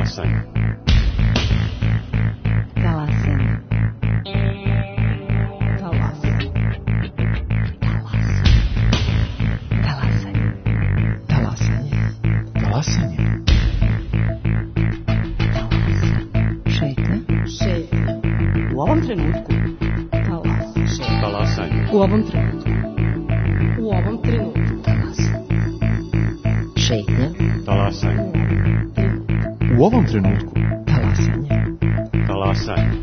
Talasanje. Talasanje. Talasanje. Šetnja. U ovom trenutku. Talasanje. U ovom trenutku. U ovom trenutku. Šetnja. Talasanje. U ovom trenutku. Talasanje. Talasanje.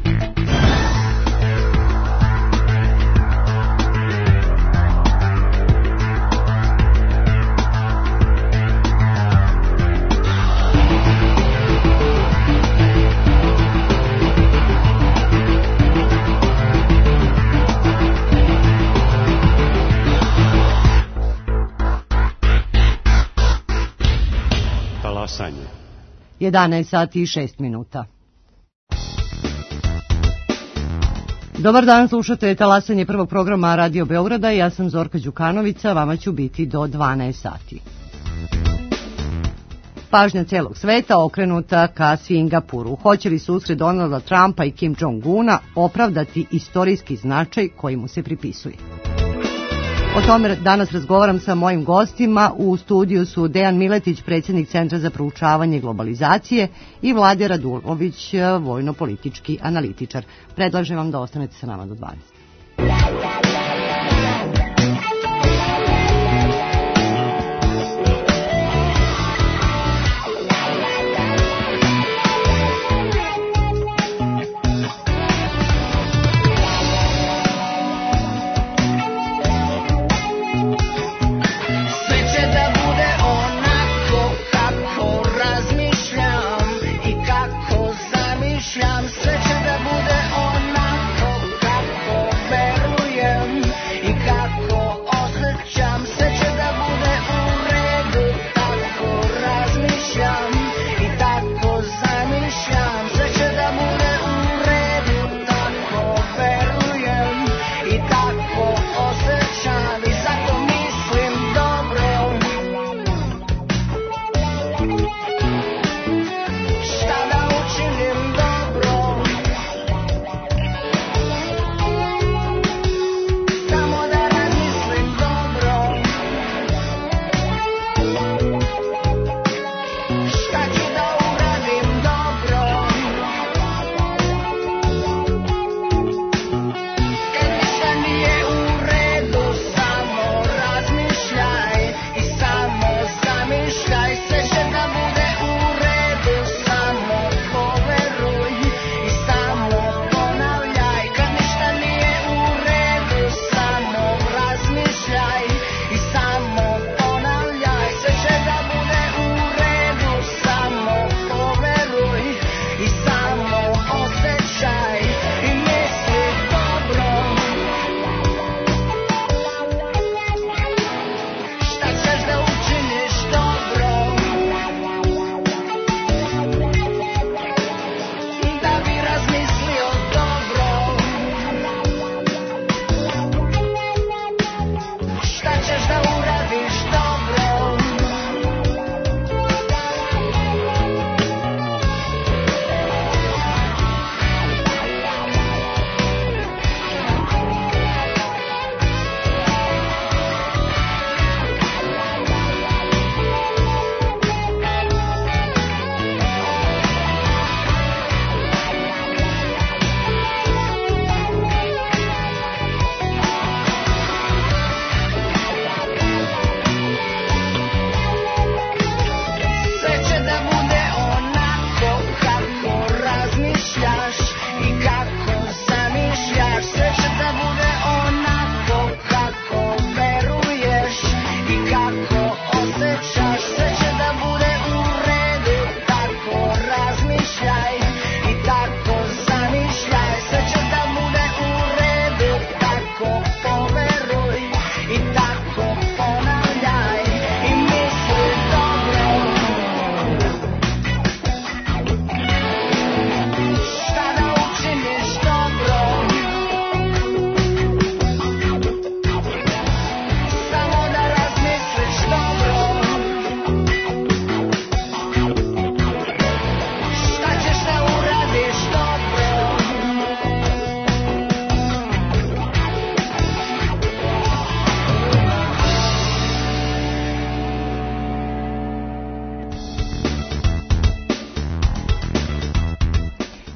Talasanje. 11 sati i 6 minuta. Dobar dan, slušate Talasanje prvog programa Radio Beograda. Ja sam Zorka Đukanovića, vama ću biti do 12 sati. Pažnja celog sveta okrenuta ka Singapuru. Hoće li susret Donalda Trumpa i Kim Jong-una opravdati istorijski značaj koji mu se pripisuje? O tome danas razgovaram sa mojim gostima. U studiju su Dejan Miletić, predsjednik Centra za proučavanje globalizacije, i Vlade Radulović, vojno-politički analitičar. Predlažem vam da ostanete sa nama do 12. Sve će da bude onako kako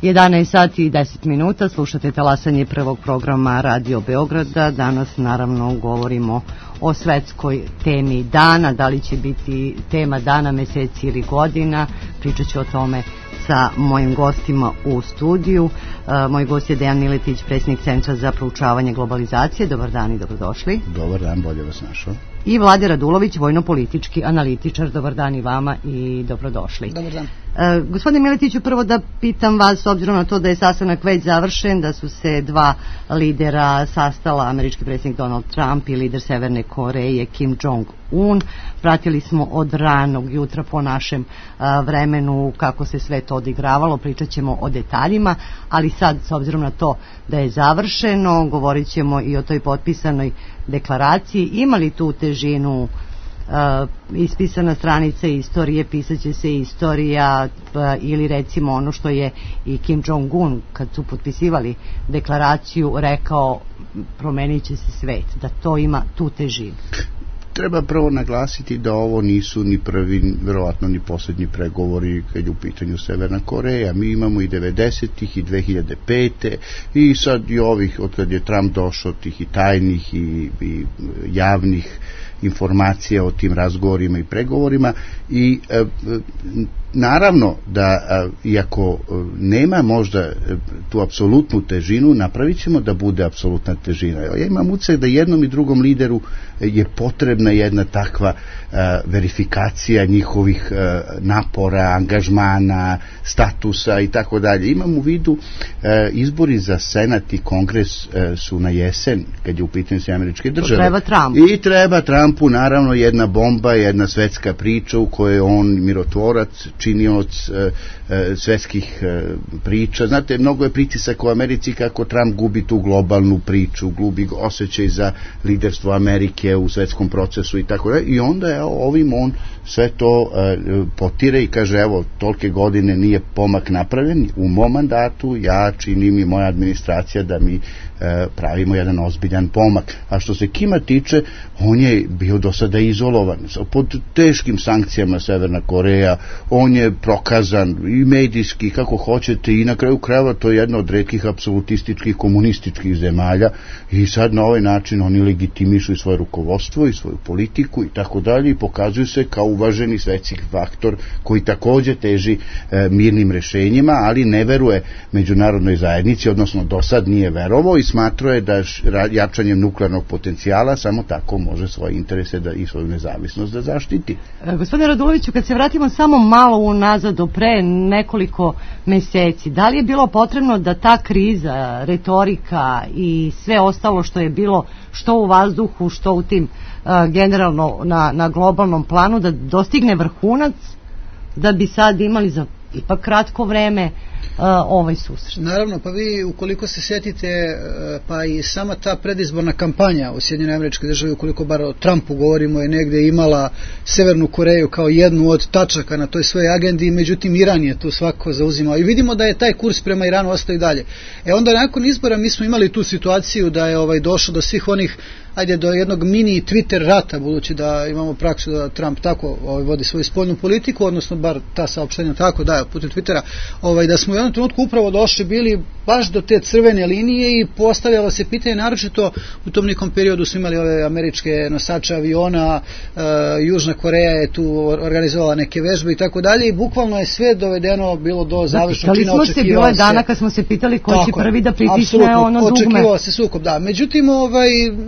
11 sati i 10 minuta, slušate talasanje prvog programa Radio Beograda. Danas naravno govorimo o svetskoj temi dana, da li će biti tema dana, meseci ili godina. Pričat ću o tome sa mojim gostima u studiju. Moj gost je Dejan Miletić, predsjednik Centra za proučavanje globalizacije. Dobar dan i dobrodošli. Dobar dan, bolje vas našao. I Vlade Radulović, vojno-politički analitičar. Dobar dan i vama i dobrodošli. Dobar dan. Gospodine Miletiću, prvo da pitam vas, s obzirom na to da je sastanak već završen, da su se dva lidera sastala, američki predsjednik Donald Trump i lider Severne Koreje Kim Jong-un. Pratili smo od ranog jutra po našem vremenu kako se sve to odigravalo, pričat ćemo o detaljima, ali sad, s obzirom na to da je završeno, govorit ćemo i o toj potpisanoj deklaraciji. Ima li tu težinu ispisana stranica istorije, pisat će se istorija, ili recimo ono što je i Kim Jong-un kad su potpisivali deklaraciju rekao, promenit će se svet, da to ima tu težinu? Treba prvo naglasiti da ovo nisu ni prvi, verovatno ni posljednji pregovori kad je u pitanju Severna Koreja. Mi imamo i 90-ih i 2005. i sad i ovih, od kad je Trump došao, tih i tajnih i javnih informacija o tim razgovorima i pregovorima i naravno da iako nema možda tu apsolutnu težinu, napravit ćemo da bude apsolutna težina. Ja imam utisak da jednom i drugom lideru je potrebna jedna takva verifikacija njihovih napora, angažmana, statusa i tako dalje. Imam u vidu izbori za Senat i Kongres su na jesen, kad je u pitanju sve američke države. Treba Trumpu. I treba Trumpu naravno jedna bomba, jedna svetska priča u kojoj je on mirotvorac, činioc svetskih priča. Znate, mnogo je pritisak u Americi kako Trump gubi tu globalnu priču, gubi osjećaj za liderstvo Amerike u svetskom procesu i tako dalje. I onda je ovim on sve to potire i kaže, evo, tolike godine nije pomak napravljen, u mom mandatu ja činim i moja administracija da mi pravimo jedan ozbiljan pomak. A što se Kima tiče, on je bio do sada izolovan, pod teškim sankcijama Severna Koreja, on je prokazan i medijski, kako hoćete, i na kraju krajeva to je jedna od retkih apsolutističkih komunističkih zemalja i sad na ovaj način oni legitimišu i svoje rukovodstvo i svoju politiku i tako dalje i pokazuju se kao uvaženi svetski faktor koji također teži mirnim rešenjima, ali ne veruje međunarodnoj zajednici, odnosno do sad nije verovao i smatrao je da jačanjem nuklearnog potencijala samo tako može svoje interese i svoju nezavisnost da zaštiti. Gospodine Raduloviću, kad se vratimo samo malo unazad do pre nekoliko meseci, da li je bilo potrebno da ta kriza, retorika i sve ostalo što je bilo što u vazduhu, što u tim generalno na globalnom planu, da dostigne vrhunac, da bi sad imali za ipak kratko vreme ovaj susret? Naravno, pa vi ukoliko se sjetite, pa i sama ta predizborna kampanja u Sjedinjenoj Američkoj Državi, ukoliko bar o Trumpu govorimo, je negdje imala Severnu Koreju kao jednu od tačaka na toj svojoj agendi, međutim Iran je tu svako zauzimao i vidimo da je taj kurs prema Iranu ostao i dalje. Onda nakon izbora mi smo imali tu situaciju da je došlo do svih onih, do jednog mini Twitter rata, budući da imamo praksu da Trump tako vodi svoju spoljnu politiku, odnosno bar ta saopštenja tako daje putem Twittera, da smo u jednom trenutku upravo došli bili baš do te crvene linije i postavljalo se pitanje, naročito u tom nekom periodu su imali ove američke nosače aviona, Južna Koreja je tu organizovala neke vežbe i tako dalje i bukvalno je sve dovedeno bilo do završnog čina. Očekivao se, bilo je dana kad smo se pitali ko će prvi da pritisne ono dugme. Očekivao se sukob, da. Međutim,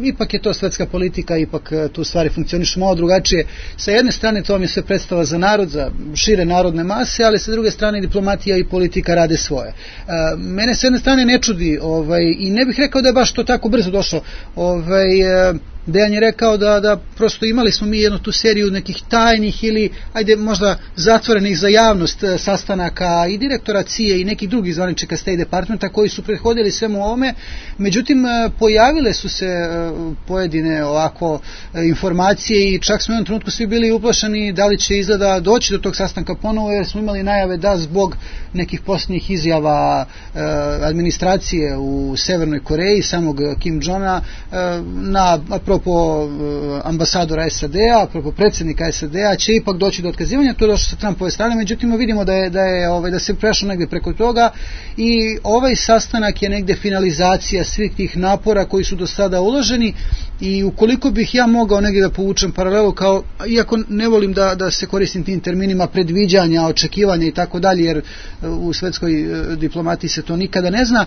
ipak je to svetska politika, ipak tu stvari funkcionišu malo drugačije. Sa jedne strane to vam je sve predstava za narod, za šire narodne mase, ali sa druge strane diplomatija i politika rade svoje. Mene s jedne strane ne čudi i ne bih rekao da je baš to tako brzo došlo. Dejan je rekao da prosto imali smo mi jednu tu seriju nekih tajnih ili možda zatvorenih za javnost sastanaka i direktora CIA i nekih drugih zvaničnika State Departmenta koji su prethodili svemu ovome, međutim pojavile su se pojedine ovako informacije i čak smo u jednom trenutku svi bili uplašeni da li će izgleda doći do tog sastanka ponovo, jer smo imali najave da zbog nekih posljednjih izjava administracije u Severnoj Koreji, samog Kim Jong-a na apropo ambasadora SAD-a, apropo predsjednika SAD-a, će ipak doći do otkazivanja, to je došlo sa Trumpove strane, međutim vidimo da se prešlo negdje preko toga i ovaj sastanak je negdje finalizacija svih tih napora koji su do sada uloženi i ukoliko bih ja mogao negdje da povučem paralelu, kao, iako ne volim da se koristim tim terminima predviđanja, očekivanja i tako dalje, jer u svetskoj diplomatiji se to nikada ne zna,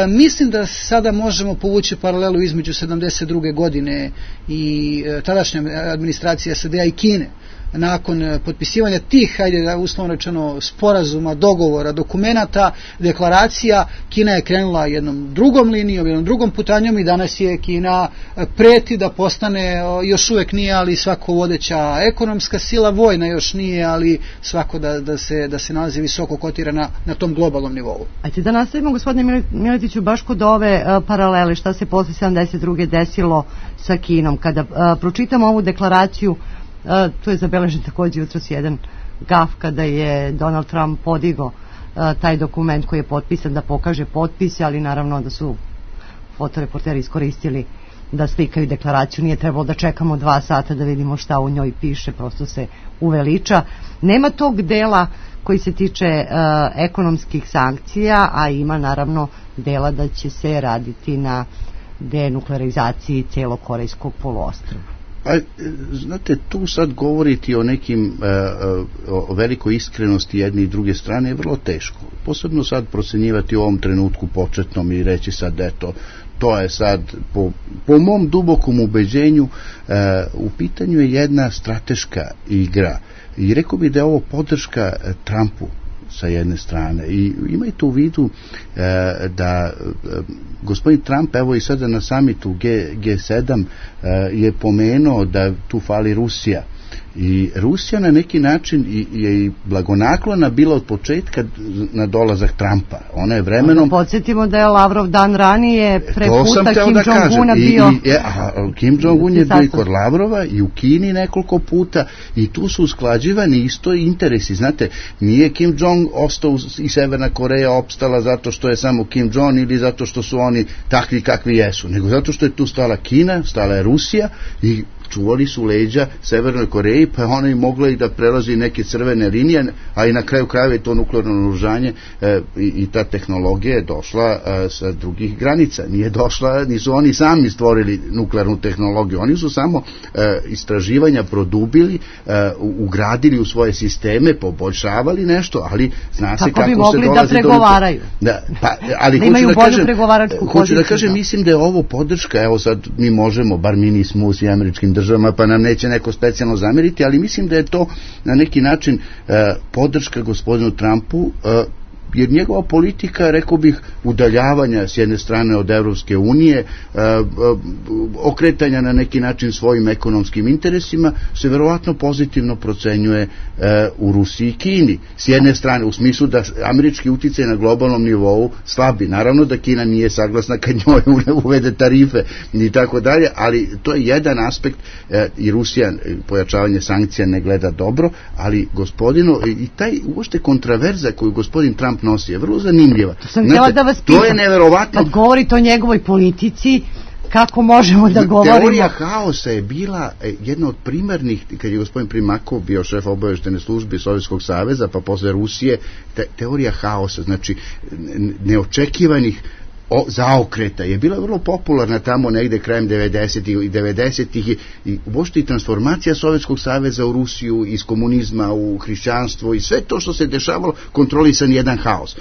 mislim da sada možemo povući paralelu između 72. godine i tadašnja administracija SAD-a i Kine. Nakon potpisivanja tih, hajde da uslovno rečeno, sporazuma, dogovora, dokumenata, deklaracija, Kina je krenula jednom drugom linijom, jednom drugom putanjom i danas je Kina preti da postane, još uvek nije, ali svako vodeća ekonomska sila, vojna još nije, ali svako da se nalazi visoko kotira na tom globalnom nivou. Ajde da nastavimo, gospodine Miletiću, baš kod ove paralele, šta se posle 72. desilo sa Kinom. Kada pročitamo ovu deklaraciju, tu je zabeležen također jutros jedan gaf kada je Donald Trump podigao taj dokument koji je potpisan da pokaže potpise, ali naravno da su fotoreporteri iskoristili da slikaju deklaraciju. Nije trebalo da čekamo 2 sata da vidimo šta u njoj piše, prosto se uveliča. Nema tog dela koji se tiče ekonomskih sankcija, a ima naravno dela da će se raditi na denuklearizaciji cijelog Korejskog poluostrva. A, znate, tu sad govoriti o nekim o velikoj iskrenosti jedne i druge strane je vrlo teško. Posebno sad procenjivati u ovom trenutku početnom i reći sad eto, to je sad po mom dubokom ubeđenju u pitanju je jedna strateška igra i rekao bi da je ovo podrška Trumpu sa jedne strane i imajte u vidu da gospodin Trump, evo i sada na samitu G7 je pomenuo da tu fali Rusija i Rusija na neki način je i blagonaklona bila od početka na dolazak Trumpa. Ona je vremenom... Podsjetimo da je Lavrov dan ranije preputa Kim Jong-una bio... Kim Jong-un je bio i kod Lavrova i u Kini nekoliko puta i tu su usklađivani isto interesi. Znate, nije Kim Jong ostao i Severna Koreja opstala zato što je samo Kim Jong ili zato što su oni takvi kakvi jesu, nego zato što je tu stala Kina, stala je Rusija i čuvali su leđa Severnoj Koreji, pa ona je mogla i da prelazi neke crvene linije, a i na kraju krajeva je to nuklearno naoružanje i ta tehnologija je došla sa drugih granica. Nije došla, nisu oni sami stvorili nuklearnu tehnologiju, oni su samo istraživanja produbili, ugradili u svoje sisteme, poboljšavali nešto, ali zna se kako bi mogli se dolazi da pregovaraju. Ali da imaju bolju pregovaračku poziciju. Hoću da kažem, mislim da je ovo podrška, evo sad mi možemo, bar mi nismo u američkim državama, pa nam neće neko specijalno zameriti, ali mislim da je to na neki način podrška gospodinu Trumpu, jer njegova politika, rekao bih, udaljavanja s jedne strane od Evropske unije, okretanja na neki način svojim ekonomskim interesima, se verovatno pozitivno procenjuje u Rusiji i Kini. S jedne strane, u smislu da američki uticaj na globalnom nivou slabi. Naravno da Kina nije saglasna kad njoj uvede tarife i tako dalje, ali to je jedan aspekt i Rusija pojačavanje sankcija ne gleda dobro, ali gospodinu, i taj uopšte kontraverza koju gospodin Trump nosi je vrlo zanimljiva. Znate, da vas pitam, to je neverovatno. Kad govorite o njegovoj politici, kako možemo da govorimo? Teorija haosa je bila jedna od primarnih, kad je gospodin Primakov bio šef obaveštene službe Sovjetskog saveza, pa posle Rusije, teorija haosa, znači neočekivanih zaokreta je bila vrlo popularna tamo negde krajem 90-ih i uopšte i transformacija Sovjetskog saveza u Rusiju, iz komunizma u hrišćanstvo i sve to što se dešavalo, kontrolisan jedan haos.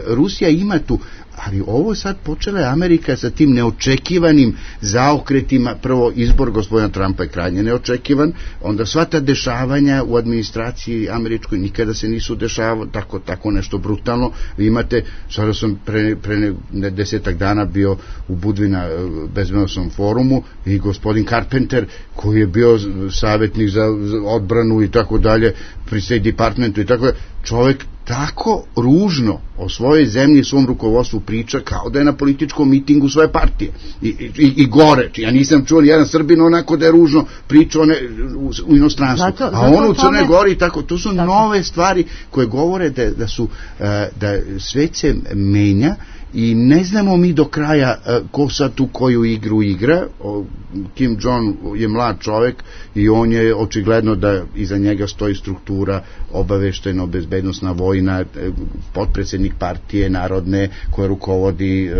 Rusija ima tu, ali ovo sad počela je Amerika sa tim neočekivanim zaokretima. Prvo, izbor gospodina Trumpa je krajnje neočekivan, onda sva ta dešavanja u administraciji američkoj nikada se nisu dešavalo tako nešto brutalno. Vi imate, sada sam pre 10 dana bio u Budvina bezbednosnom forumu i gospodin Carpenter, koji je bio savjetnik za odbranu i tako dalje pri State Departmentu i tako dalje, čovjek tako ružno o svojoj zemlji i svom rukovodstvu priča kao da je na političkom mitingu svoje partije i gore. Ja nisam čuo jedan Srbin onako da je ružno pričao u inostranstvu, a on u Crnoj Gori tako. To su nove stvari koje govore da svet se menja i ne znamo mi do kraja ko sad tu koju igru igra. Kim Jong je mlad čovek i on je očigledno da iza njega stoji struktura obavešteno bezbednosna vojna, potpredsednik partije narodne koja rukovodi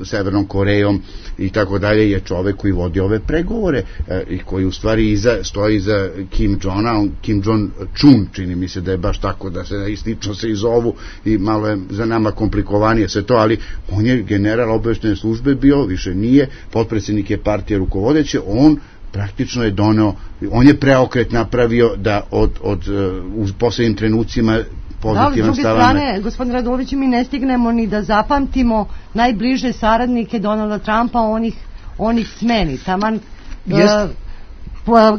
Severnom Korejom i tako dalje, je čovek koji vodi ove pregovore i koji u stvari stoji iza Kim Jong-a, Kim Jong-chun, čini mi se da je baš tako, da se slično se i zovu i malo je za nama komplikovanije sve to, ali on je general obaveštene službe bio, više nije, potpredsednik je partije rukovodeće, on praktično je doneo, on je preokret napravio da u poslednjim trenucima pozitivan stav. Da, s druge strane, gospodin Radulović, mi ne stignemo ni da zapamtimo najbliže saradnike Donalda Trumpa, onih smeni. Taman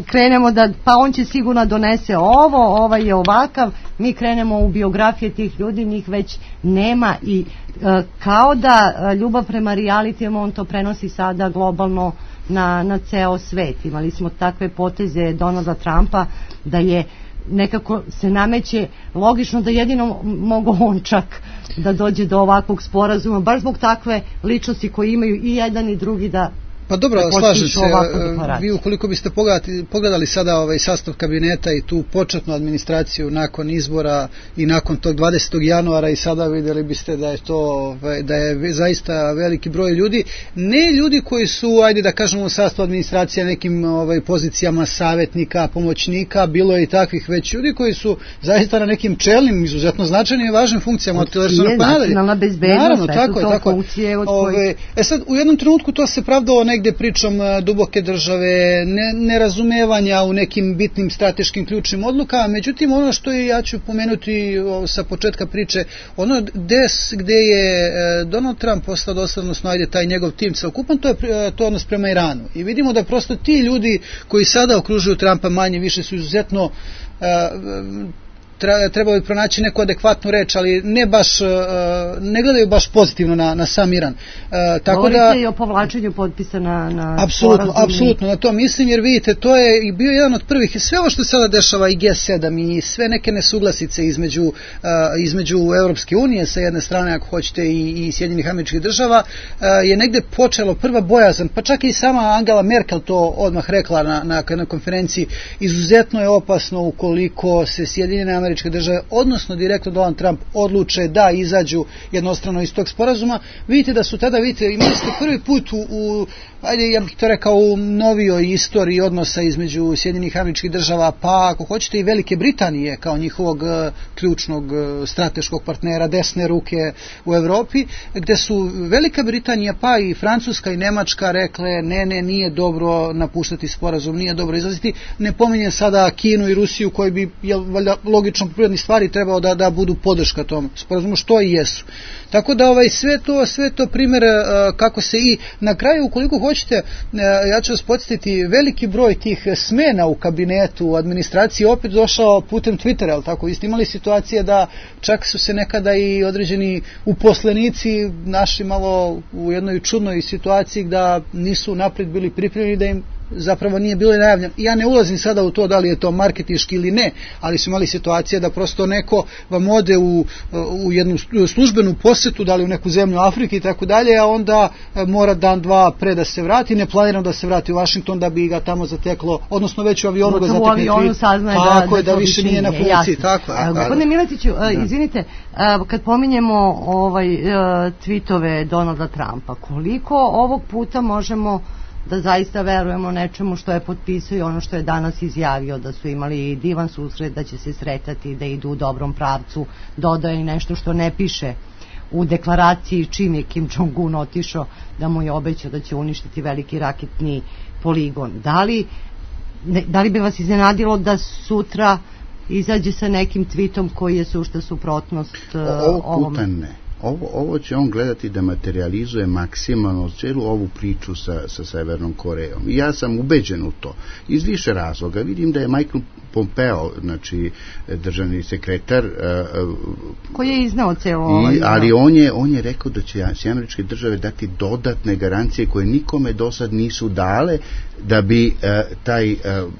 krenemo da, pa on će sigurno donese ovo, ovaj je ovakav, mi krenemo u biografije tih ljudi, njih već nema i kao da ljubav prema realitijama, on to prenosi sada globalno na ceo svet. Imali smo takve poteze Donalda Trumpa da je nekako se nameće logično da jedino mogu on čak da dođe do ovakvog sporazuma, baš zbog takve ličnosti koje imaju i jedan i drugi da... Pa dobro, slažem se, vi ukoliko biste pogledali sada ovaj sastav kabineta i tu početnu administraciju nakon izbora i nakon tog 20. januara i sada vidjeli biste da je to, da je zaista veliki broj ljudi, ne ljudi koji su, ajde da kažemo, u sastavu administracije nekim pozicijama savjetnika, pomoćnika, bilo je i takvih, već ljudi koji su zaista na nekim čelnim, izuzetno značajnim i važnim funkcijama od televizorom pa nadalje. Nacionalna bezbednost, tako. Funkcije od kojih... sad, u jednom trenutku to se pravdalo negde pričom duboke države, nerazumevanja u nekim bitnim strateškim ključnim odlukama, međutim ono što ja ću pomenuti sa početka priče, ono gde je Donald Trump postao dosledno, ajde taj njegov tim celokupno, to je odnos prema Iranu. I vidimo da prosto ti ljudi koji sada okružuju Trumpa manje više su izuzetno trebalo bi pronaći neku adekvatnu reč, ali ne gledaju baš pozitivno na sam Iran. Govorite i o povlačenju potpisa na apsolutno na to mislim, jer vidite, to je i bio jedan od prvih, sve ovo što se sada dešava i G7 i sve neke nesuglasice između Evropske unije sa jedne strane, ako hoćete, i Sjedinjenih Američkih Država, je negde počelo prva bojazan, pa čak i sama Angela Merkel to odmah rekla na jednoj konferenciji, izuzetno je opasno ukoliko se Sjedinjene Američke Države, odnosno direktno Donald Trump, odluče da izađu jednostrano iz tog sporazuma. Vidite da su tada, imali ste prvi put ajde, ja bih to rekao, u novijoj istoriji odnosa između Sjedinjenih Američkih Država, pa ako hoćete i Velike Britanije kao njihovog ključnog strateškog partnera, desne ruke u Evropi, gde su Velika Britanija pa i Francuska i Nemačka rekle ne, nije dobro napuštati sporazum, nije dobro izlaziti. Ne pominjem sada Kinu i Rusiju koji bi logično po prirodi stvari trebao da budu podrška tom sporazumu, što i jesu. Tako da sve to primjer kako se i na kraju, ukoliko hoćete, ja ću vas podsjetiti, veliki broj tih smena u kabinetu, u administraciji opet došao putem Twittera, ali tako, isto imali situacije da čak su se nekada i određeni uposlenici našli malo u jednoj čudnoj situaciji da nisu napred bili pripremljeni, da im zapravo nije bilo najavljeno. Ja ne ulazim sada u to da li je to marketinški ili ne, ali su imali situacije da prosto neko vam ode u jednu službenu posetu, da li u neku zemlju Afrike i tako dalje, a onda mora dan, dva pre da se vrati, neplanirano da se vrati u Washington da bi ga tamo zateklo, odnosno već u avionu ga zatekne. U avionu saznaje da više nije na funkciji. Gospodine Miletiću, izvinite, kad pominjemo tweetove Donalda Trumpa, koliko ovog puta možemo da zaista verujemo nečemu što je potpisao i ono što je danas izjavio, da su imali divan susret, da će se sretati, da idu u dobrom pravcu, dodaje i nešto što ne piše u deklaraciji čim je Kim Jong-un otišao, da mu je obećao da će uništiti veliki raketni poligon. Da li bi vas iznenadilo da sutra izađe sa nekim tweetom koji je sušta suprotnost ovom? Puta ne. Ovo će on gledati da materializuje maksimalno cijelu ovu priču sa Severnom Korejom. I ja sam ubeđen u to. Iz više razloga. Vidim da je Michael Pompeo, znači državni sekretar, koji je iznao celo ali on je rekao da će Američke Države dati dodatne garancije koje nikome do sad nisu dale da bi taj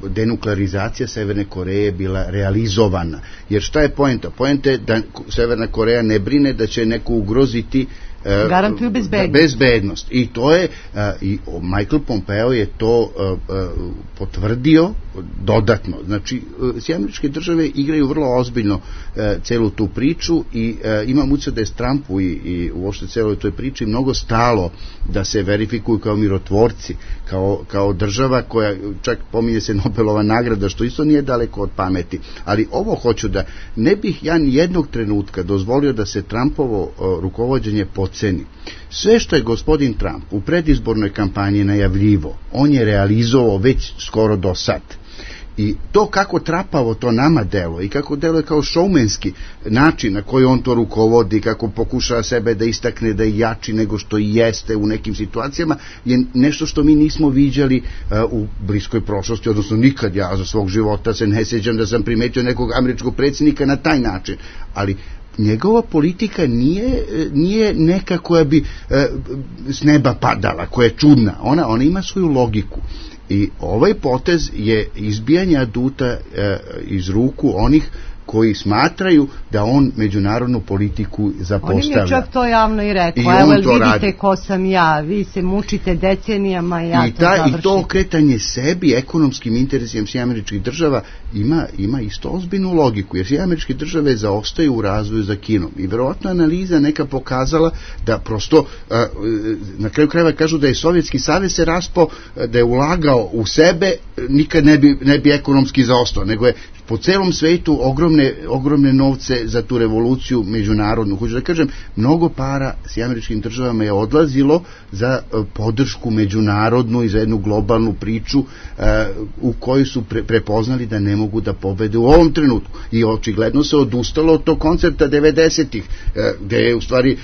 denuklearizacija Severne Koreje bila realizovana. Jer šta je poenta? Poenta je da Severna Koreja ne brine da će neku teško ugroziti garantuju bezbednost. I to je, i Michael Pompeo je to potvrdio dodatno. Znači, Sjedinjene države igraju vrlo ozbiljno celu tu priču i imam utisak da je Trumpu i uopšte celoj toj priči mnogo stalo da se verifikuju kao mirotvorci, kao država koja, čak pominje se Nobelova nagrada, što isto nije daleko od pameti. Ali ovo hoću da ne bih ja ni jednog trenutka dozvolio da se Trumpovo rukovođenje podceni. Sve što je gospodin Trump u predizbornoj kampanji najavljivo, on je realizovao već skoro do sad. I to kako trapavo to nama deluje i kako deluje kao šoumenski način na koji on to rukovodi, kako pokušava sebe da istakne da je jači nego što i jeste u nekim situacijama, je nešto što mi nismo viđali u bliskoj prošlosti, odnosno nikad ja za svog života se ne sjećam da sam primetio nekog američkog predsjednika na taj način. Ali njegova politika nije neka koja bi s neba padala, koja je čudna. Ona ima svoju logiku. I ovaj potez je izbijanje aduta iz ruku onih koji smatraju da on međunarodnu politiku zapostavlja. On je čak to javno i rekao. Evo, vidite ko sam ja, vi se mučite decenijama, ja to završim. I to okretanje sebi, ekonomskim interesima Sjedinjenih država ima isto ozbiljnu logiku, jer Sjedinjene države zaostaju u razvoju za Kinom. I verovatno analiza neka pokazala da prosto, na kraju krajeva kažu da je Sovjetski savez se raspao, da je ulagao u sebe, nikad ne bi ekonomski zaostao, nego je po celom svetu ogromne novce za tu revoluciju međunarodnu. Hoću da kažem, mnogo para s američkim državama je odlazilo za podršku međunarodnu i za jednu globalnu priču u kojoj su prepoznali da ne mogu da pobede u ovom trenutku. I očigledno se odustalo od tog koncepta 90-ih, gde je u stvari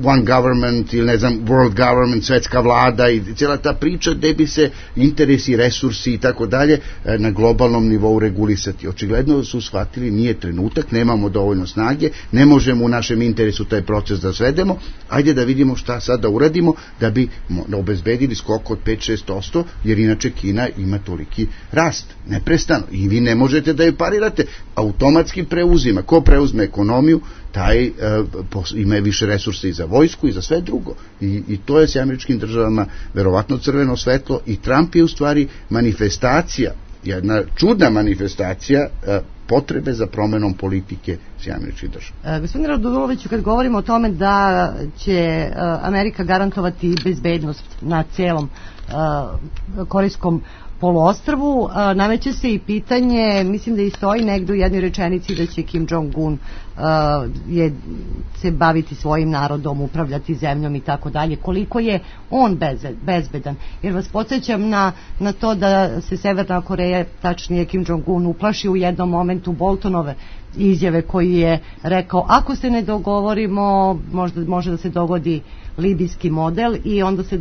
one government ili ne znam, world government, svetska vlada i cijela ta priča gde bi se interesi, resursi i tako dalje na globalnom nivou regulisati. Očigledno su shvatili nije trenutak, nemamo dovoljno snage, ne možemo u našem interesu taj proces da svedemo, ajde da vidimo šta sad da uradimo da bi obezbedili skok od 5-6%, jer inače Kina ima toliki rast, neprestano, i vi ne možete da je parirate, automatski preuzima. Ko preuzme ekonomiju, taj ima više resursa i za vojsku i za sve drugo. I to je s američkim državama verovatno crveno svetlo i Trump je u stvari manifestacija, jedna čudna manifestacija potrebe za promenom politike Sjedinjenih država. Gospodine Raduloviću, kad govorimo o tome da će Amerika garantovati bezbednost na celom Korejskom poluostrvu, nameće se i pitanje, mislim da i stoji negdje u jednoj rečenici da će Kim Jong-un se baviti svojim narodom, upravljati zemljom i tako dalje. Koliko je on bezbedan? Jer vas podsjećam na to da se Severna Koreja, tačnije Kim Jong-un, uplaši u jednom momentu Boltonove izjave koji je rekao ako se ne dogovorimo može da se dogodi libijski model, i onda se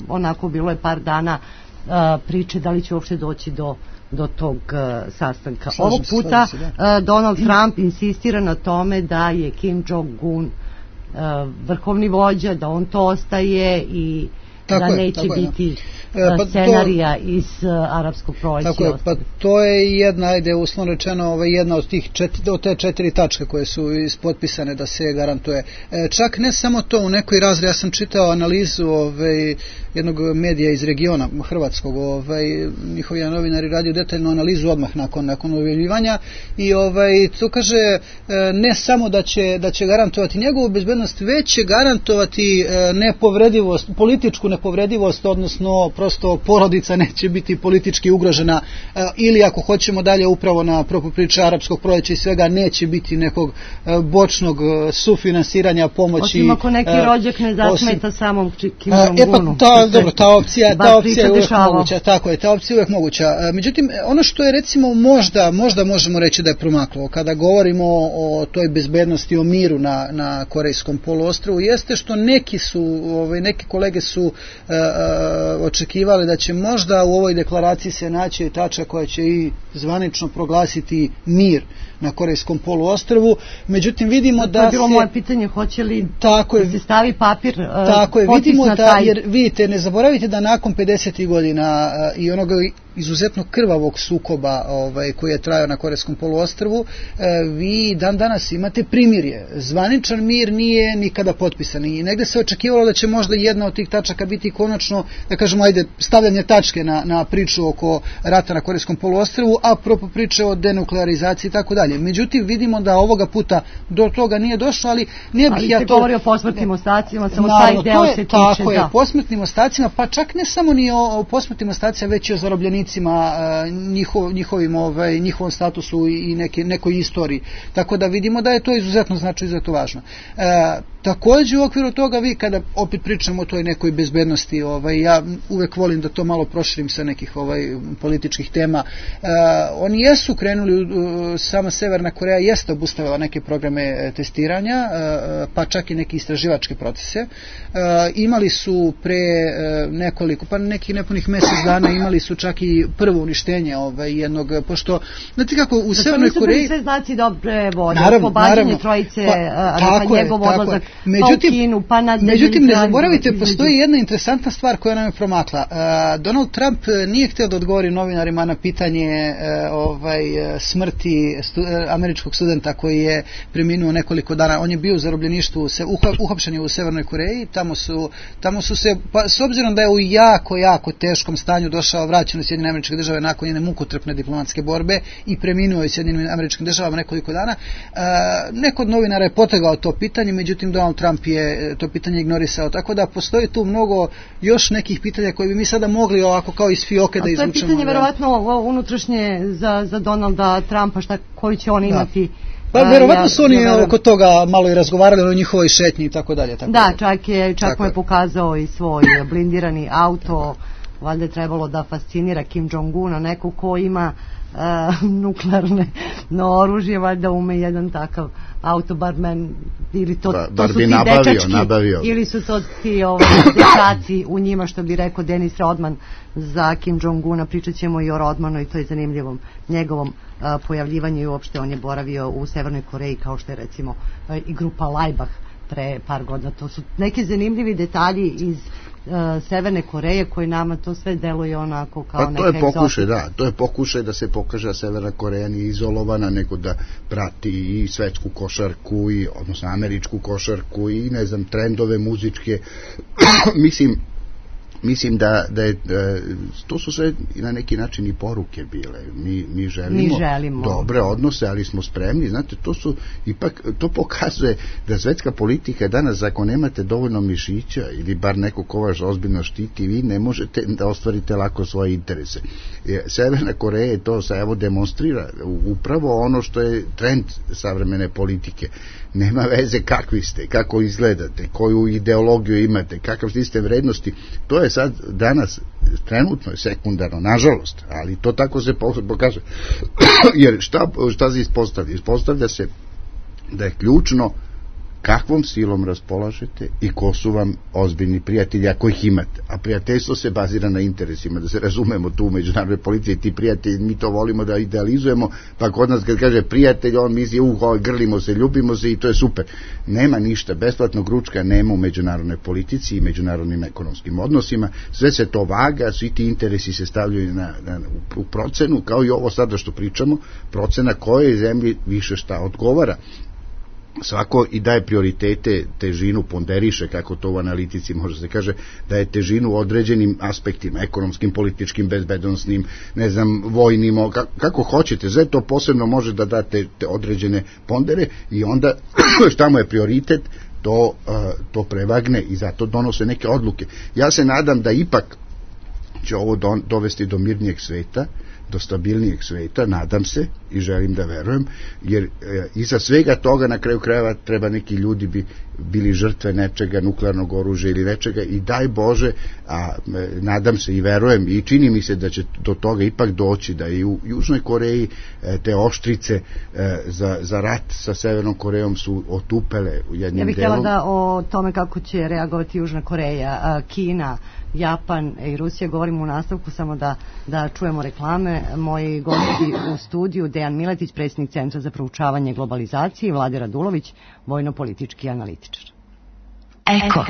onako bilo je par dana priče da li će uopšte doći do tog sastanka. Ovog puta Donald Trump insistira na tome da je Kim Jong-un vrhovni vođa, da on to ostaje i da neće biti scenarija iz arapskog proleća. Tako je, pa to je jedna, ajde uslovno rečeno, jedna od te 4 tačke koje su ispotpisane da se garantuje. Čak ne samo to, u nekoj razred, ja sam čitao analizu jednog medija iz regiona hrvatskog, njihovi novinari radio detaljnu analizu odmah nakon objavljivanja i to kaže ne samo da će garantovati njegovu bezbednost, već će garantovati nepovredivost, političku nepovredivost, odnosno prosto porodica neće biti politički ugrožena, ili ako hoćemo dalje upravo na priča arapskog proleća i svega, neće biti nekog bočnog sufinansiranja pomoći. Osim ako neki rođak ne zasmeta samom Kim Jong-unu. Dobro, ta opcija je uvijek moguća. Tako je, ta opcija je uvijek moguća. Međutim, ono što je recimo možda možemo reći da je promaklo kada govorimo o toj bezbednosti, o miru na Korejskom poluostrvu, jeste što neki kolege su očekivali da će možda u ovoj deklaraciji se naći tačka koja će i zvanično proglasiti mir na Korejskom poluostrvu. Međutim, vidimo da to je bilo moje pitanje, hoće li da se stavi papir potpis na taj... Jer vidite, ne zaboravite da nakon 50. godina i onoga izuzetno krvavog sukoba koji je trajao na Korejskom poluostrvu, vi dan danas imate primirje. Zvaničan mir nije nikada potpisan i negde se očekivalo da će možda jedna od tih tačaka biti konačno, da kažemo, stavljanje tačke na priču oko rata na Korejskom poluostrvu, a propo priče o denuklearizaciji i tako dalje. Međutim, vidimo da ovoga puta do toga nije došlo, ali ne bih ja to... Ali se govori o posmrtnim ostacima, samo taj deo se tiče. Tako je, posmrtnim ostacima, pa čak ne samo ni o posmrtnim ostacima, već i o zarobljenicima, njihovom statusu i nekoj istoriji. Tako da vidimo da je to izuzetno izuzetno važno. Takođe u okviru toga vi kada opet pričamo o toj nekoj bezbednosti, ja uvek volim da to malo proširim sa nekih političkih tema. Oni jesu krenuli, sama Severna Koreja jeste obustavila neke programe testiranja, pa čak i neke istraživačke procese. Imali su pre nekih nepunih mesec dana imali su čak i prvo uništenje jednog, pošto znate kako u Severnoj Koreji... Nisu bili sve znaci dobre vode, pobađanje trojice, njegov odlazak Međutim, ne zaboravite, postoji jedna interesantna stvar koja nam je promakla. Donald Trump nije htio da odgovori novinarima na pitanje smrti američkog studenta koji je preminuo nekoliko dana. On je bio u zarobljeništvu, uhapšen je u Severnoj Koreji, tamo su se, pa s obzirom da je u jako teškom stanju došao, vraćen u Sjedinjene Američke Države nakon jedne mukotrpne diplomatske borbe i preminuo je u Sjedinjenim Američkim Državama nekoliko dana. Neko od novinara je potegao to pitanje, međutim Donald Trump je to pitanje ignorisao, tako da postoji tu mnogo još nekih pitanja koje bi mi sada mogli ovako kao iz fioke da izvučemo. A to je pitanje verovatno unutrašnje za Donalda Trumpa, koju će on imati. Pa verovatno su oni oko toga malo i razgovarali o njihovoj šetnji i tako dalje. Da, čak mu je pokazao i svoj blindirani auto, valjda je trebalo da fascinira Kim Jong-una, neko ko ima nuklearne oružje, valjda ume jedan takav auto, bar ili to su ti dečački, ili su to ti dečaci u njima, što bi rekao Denis Rodman za Kim Jong-una. Pričat ćemo i o Rodmanu i to je zanimljivom njegovom pojavljivanju i uopšte on je boravio u Severnoj Koreji, kao što je recimo i grupa Laibach pre par godina. To su neki zanimljivi detalji iz Severne Koreje koji nama to sve deluje onako kao neka egzotika. To je pokušaj da se pokaže da Severna Koreja nije izolovana, nego da prati i svetsku košarku, odnosno američku košarku i ne znam, trendove muzičke. Mislim da je, to su sve na neki način i poruke bile. Mi želimo dobre odnose, ali smo spremni. Znate, to pokazuje da svetska politika danas, ako nemate dovoljno mišića ili bar neko ko vas ozbiljno štiti, vi ne možete da ostvarite lako svoje interese. Severna Koreja to evo demonstrira upravo ono što je trend savremene politike. Nema veze kakvi ste, kako izgledate, koju ideologiju imate, kakav sistem vrednosti. To je sad danas trenutno je sekundarno, nažalost, ali to tako se pokaže. Jer šta se ispostavlja? Ispostavlja se da je ključno kakvom silom raspolažete i ko su vam ozbiljni prijatelji, ako ih imate. A prijateljstvo se bazira na interesima, da se razumemo tu u međunarodnoj politici, ti prijatelji, mi to volimo da idealizujemo, pa kod nas kad kaže prijatelj, on misli, grlimo se, ljubimo se i to je super. Nema ništa, besplatnog ručka nema u međunarodnoj politici i međunarodnim ekonomskim odnosima, sve se to vaga, svi ti interesi se stavljaju u procenu, kao i ovo sada što pričamo, procena kojoj zemlji više šta odgovara. Svako i daje prioritete, težinu, ponderiše, kako to u analitici može se kaže, daje težinu u određenim aspektima, ekonomskim, političkim, bezbednosnim, ne znam, vojnim, kako hoćete, sve to posebno može da date te određene pondere i onda šta mu je prioritet, to prevagne i zato donose neke odluke. Ja se nadam da ipak će ovo dovesti do mirnijeg sveta, do stabilnijeg sveta, nadam se, i želim da verujem, jer iza svega toga na kraju krajeva treba neki ljudi bi bili žrtve nečega, nuklearnog oružja ili nečega, i daj Bože, a nadam se i verujem i čini mi se da će do toga ipak doći, da i u Južnoj Koreji te oštrice za rat sa Severnom Korejom su otupele u jednim delom. Ja bih htjela da o tome kako će reagovati Južna Koreja, Kina, Japan i Rusija govorimo u nastavku, samo da čujemo reklame. Moji gosti u studiju: Dejan Miletić, predsjednik Centra za proučavanje globalizacije, i Vlade Radulović, vojno-politički analitičar. Eko.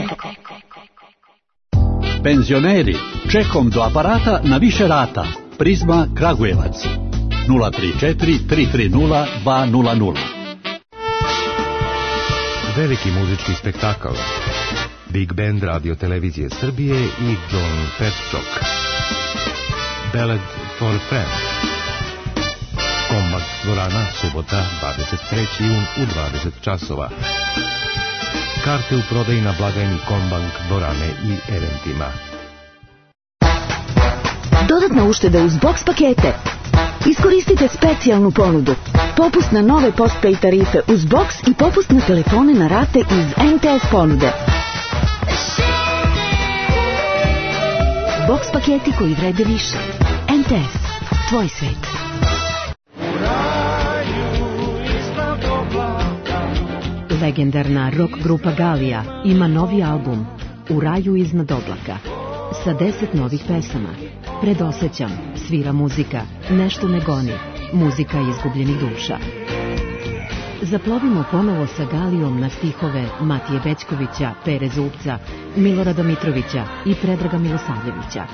Penzioneri, čekom do aparata na više rata. Prizma Kragujevac 034 330 200. Veliki muzički spektakl, Big Band Radio Televizije Srbije i John Petchok. Ballad for Friends. Kombak dvorana, subota, 23. jun u 20 časova. Karte u prodaji na blagajni Kombank dvorane i eventima. Dodatna ušteda uz box pakete. Iskoristite specijalnu ponudu. Popust na nove postpay tarife uz box i popust na telefone na rate iz MTS ponude. Box paketi koji vrede više. MTS. Tvoj svet. Legendarna rock grupa Galija ima novi album U raju iznad oblaka sa 10 novih pesama. Predosećam, svira muzika, nešto ne goni, muzika izgubljenih duša. Zaplovimo ponovo sa Galijom na stihove Matije Bećkovića, Pere Zupca, Milorada Mitrovića i Predraga Milosavljevića.